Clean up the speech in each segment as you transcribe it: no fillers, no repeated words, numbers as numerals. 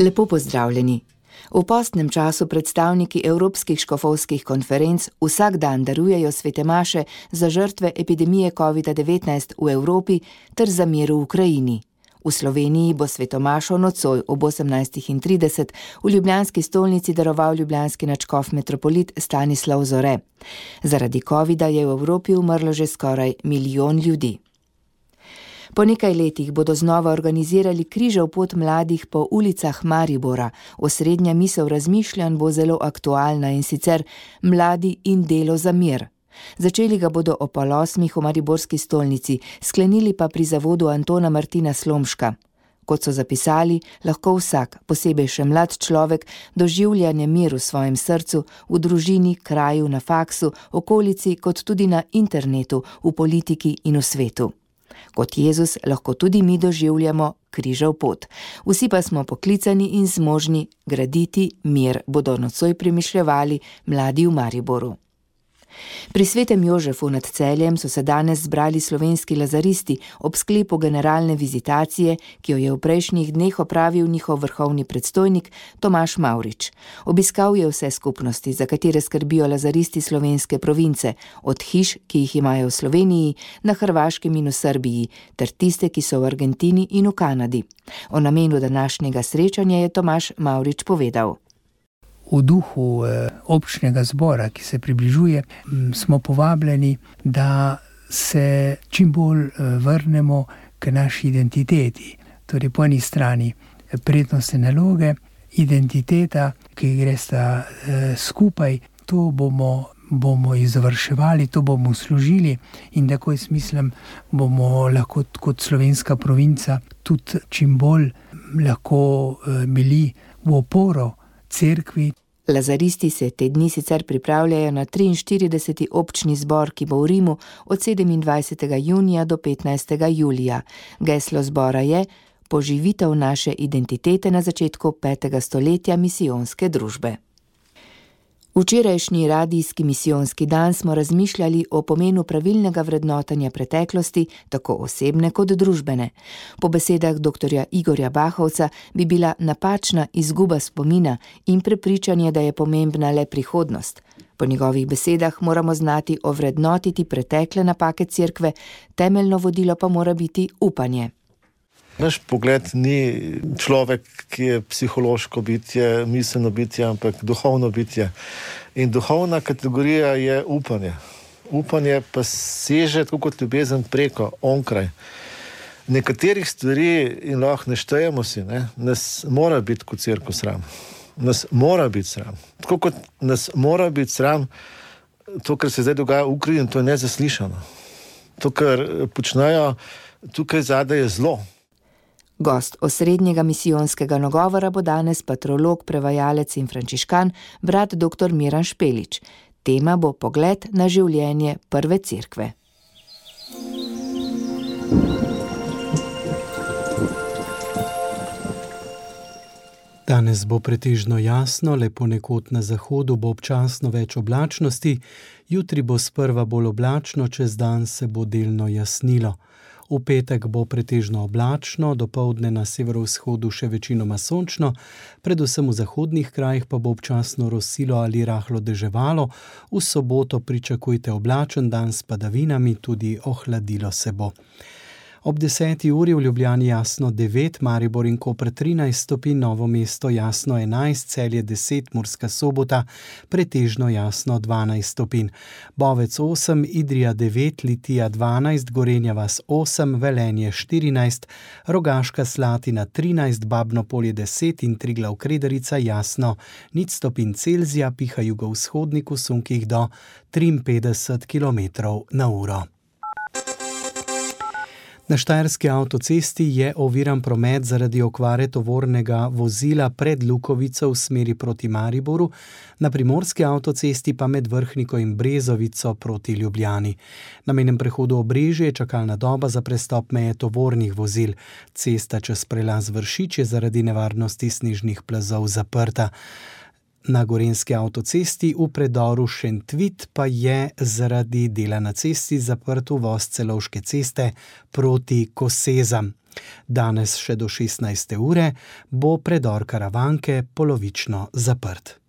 Lepo pozdravljeni. V postnem času predstavniki evropskih škofovskih konferenc vsak dan darujejo svete maše za žrtve epidemije COVID-19 v Evropi ter za mir v Ukrajini. V Sloveniji bo sveto mašo nocoj ob 18:30 v ljubljanski stolnici daroval ljubljanski nadškof metropolit Stanislav Zore. Zaradi covida je v Evropi umrlo že skoraj 1 milijon ljudi. Po nekaj letih bodo znova organizirali križev pot mladih po ulicah Maribora. Osrednja misel razmišljanj bo zelo aktualna, in sicer mladi in delo za mir. Začeli ga bodo ob 8:00 v mariborski stolnici, sklenili pa pri zavodu Antona Martina Slomška. Kot so zapisali, lahko vsak, posebej še mlad človek, doživlja nemir v svojem srcu, v družini, kraju, na faksu, okolici, kot tudi na internetu, v politiki in v svetu. Kot Jezus lahko tudi mi doživljamo križev pot. Vsi pa smo poklicani in zmožni graditi mir, bodo nocoj premišljevali mladi v Mariboru. Pri svetem Jožefu nad Celjem so se danes zbrali slovenski lazaristi ob sklepu generalne vizitacije, ki jo je v prejšnjih dneh opravil njihov vrhovni predstojnik Tomaž Mavrič. Obiskal je vse skupnosti, za katere skrbijo lazaristi slovenske province, od hiš, ki jih imajo v Sloveniji, na Hrvaškem in v Srbiji, ter tiste, ki so v Argentini in v Kanadi. O namenu današnjega srečanja je Tomaž Mavrič povedal. V duhu občnega zbora, ki se približuje, smo povabljeni, da se čim bolj vrnemo k naši identiteti. Torej po eni strani prednostne naloge, identiteta, ki gre sta skupaj, to bomo izvrševali, to bomo služili, in tako jaz mislim, bomo lahko kot slovenska provinca tudi čim bolj lahko bili v oporo cerkvi. Lazaristi se te dni sicer pripravljajo na 43. občni zbor, ki bo v Rimu od 27. junija do 15. julija. Geslo zbora je poživitev naše identitete na začetku 5. stoletja misijonske družbe. Včerajšnji radijski misijonski dan smo razmišljali o pomenu pravilnega vrednotanja preteklosti, tako osebne kot družbene. Po besedah dr. Igorja Bahovca bi bila napačna izguba spomina in prepričanje, da je pomembna le prihodnost. Po njegovih besedah moramo znati ovrednotiti pretekle napake cerkve, temeljno vodilo pa mora biti upanje. Naš pogled ni človek, ki je psihološko bitje, miselno bitje, ampak duhovno bitje. In duhovna kategorija je upanje. Upanje pa seže tako kot ljubezen preko, onkraj. Nekaterih stvari, in lahko ne štejemo si, nas mora biti kot cerkev sram. Nas mora biti sram. Tako kot nas mora biti sram, to, kar se zdaj dogaja v Ukrajini, to je nezaslišano. To, kar počnejo tukaj zadaj, je zlo. Gost osrednjega misijonskega nagovora bo danes patrolog, prevajalec in frančiškan, brat dr. Miran Špelič. Tema bo pogled na življenje prve cerkve. Danes bo pretežno jasno, le ponekod na zahodu bo občasno več oblačnosti, jutri bo sprva bolj oblačno, čez dan se bo delno jasnilo. V petek bo pretežno oblačno, dopoldne na severovzhodu še večinoma sončno, predvsem v zahodnih krajih pa bo občasno rosilo ali rahlo deževalo, v soboto pričakujte oblačen dan s padavinami, tudi ohladilo se bo. Ob 10. uri v Ljubljani jasno 9, Maribor in Koper 13 stopinj, Novo mesto jasno 11, Celje 10, Murska Sobota pretežno jasno 12 stopinj. Bovec 8, Idrija 9, Litija 12, Gorenja vas 8, Velenje 14, Rogaška Slatina 13, Babno Polje 10 in Triglav Kredarica jasno 0 stopinj Celzija, piha jugovzhodnik v sunkih do 53 km/h. Na Štajerski avtocesti je oviran promet zaradi okvare tovornega vozila pred Lukovico v smeri proti Mariboru, na Primorski avtocesti pa med Vrhniko in Brezovico proti Ljubljani. Na mejnem prehodu Obrežje je čakalna doba za prestop meje tovornih vozil. Cesta čez prelaz Vršič je zaradi nevarnosti snežnih plazov zaprta. Na Gorenjski avtocesti v predoru Šentvit pa je zaradi dela na cesti zaprt uvoz Celovške ceste proti Kosezam. Danes še do 16. ure bo predor Karavanke polovično zaprt.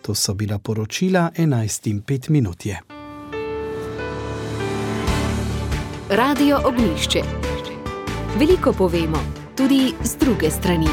To so bila poročila 11:05 je. Radio Ognjišče. Veliko povemo, tudi z druge strani.